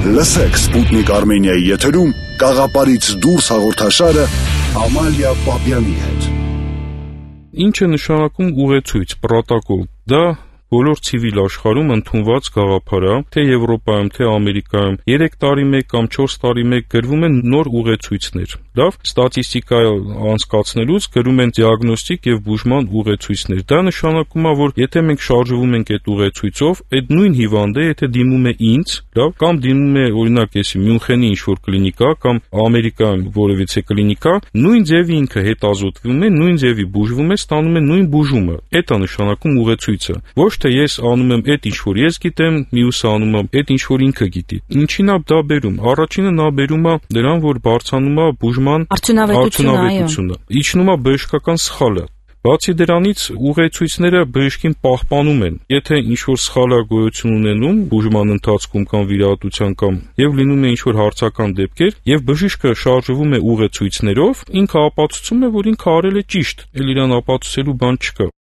Լսեք Սպուտնիկ Արմենիայի եթերում «Կաղապարից դուրս» հաղորդաշարը Ամալիա Պապյանի հետ։ Ինչ է նշանակում ուղեցույց, պրոտոկոլ։ Դա բոլոր ցիվիլ աշխարհում ընդունված գաղափար է, թե Եվրոպայում, թե Ամերիկայում 3 տարի մեկ կամ 4 տարի մեկ գրվում են նոր ուղեցույցներ։ Լավ, ստատիստիկա անցկացնելուց գրում են դիագնոստիկ եւ բուժման ուղեցույցներ։ Դա նշանակում է, որ եթե մենք շարժվում ենք այդ ուղեցույցով, այդ նույն հիվանդը, եթե դիմում է ինձ, լավ, կամ դիմում է օրինակ էսի Մյունխենի ինչ-որ կլինիկա կամ Ամերիկայում որևիցե կլինիկա, նույն ձևի ինքը հետազոտվում է, նույն ձևի բուժվում է, ստանում է նույն բուժումը։ Դա է նշանակում ուղեցույցը։ Ոչ թե ես անում եմ այդ ինչ որ ես գիտեմ, մյուսը անում է այդ ինչ որ ինքը գիտի։ Ինչին է դա բերում։ Առաջինը նա բերում է դրան, որ բարձրանում է բուժման արդյունավետությունը, իջնում է բժշկական սխալը։ Բացի դրանից ուղեցույցները բժշկին պահպանում են։ Եթե ինչ-որ սխալը գոյություն ունենում բուժման ընթացքում կամ վիրահատության կամ եւ լինում է ինչ-որ հարցական դեպքեր, եւ բժիշկը շարժվում է ուղեցույցներով, ինքը ապացուցում է, որ ինքը արել է ճիշտ, էլ իրան ապացուցելու բան չկա։